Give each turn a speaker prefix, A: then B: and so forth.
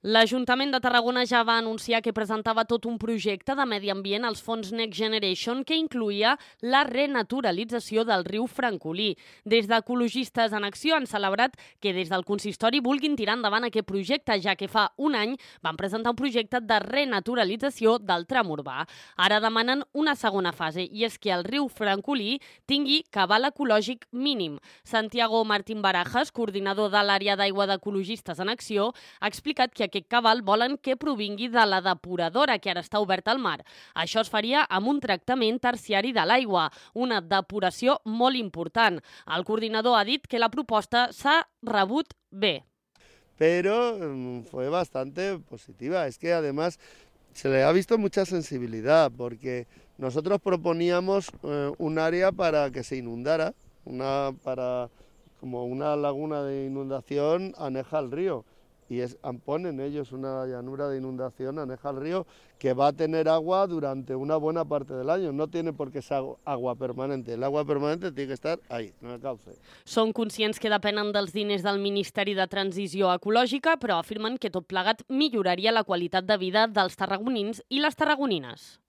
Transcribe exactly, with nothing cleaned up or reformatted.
A: L'Ajuntament de Tarragona ja va anunciar que presentava tot un projecte de medi ambient als fons Next Generation que incluïa la renaturalització del riu Francolí. Des d'Ecologistes en Acció han celebrat que des del consistori vulguin tirar endavant aquest projecte, ja que fa un any van presentar un projecte de renaturalització del tram urbà. Ara demanen una segona fase, i és que el riu Francolí tingui cabal ecològic mínim. Santiago Martín Barajas, coordinador de l'àrea d'aigua d'Ecologistes en Acció, ha explicat que aquest cabal volen que provingui de la depuradora que ara està oberta al mar. Això es faria amb un tractament terciari de l'aigua, una depuració molt important. El coordinador ha dit que la proposta s'ha rebut bé.
B: Pero um, fue bastante positiva. Es que además se le ha visto mucha sensibilidad porque nosotros proponíamos eh, un área para que se inundara, una, para, como una laguna de inundación aneja al río. Y es, ponen ellos una llanura de inundación aneja al río que va a tener agua durante una buena parte del año. No tiene por qué ser agua permanente. El agua permanente tiene que estar ahí, en el cauce.
A: Són conscients que depenen dels diners del Ministeri de Transició Ecològica, però afirmen que tot plegat milloraria la qualitat de vida dels tarragonins i les tarragonines.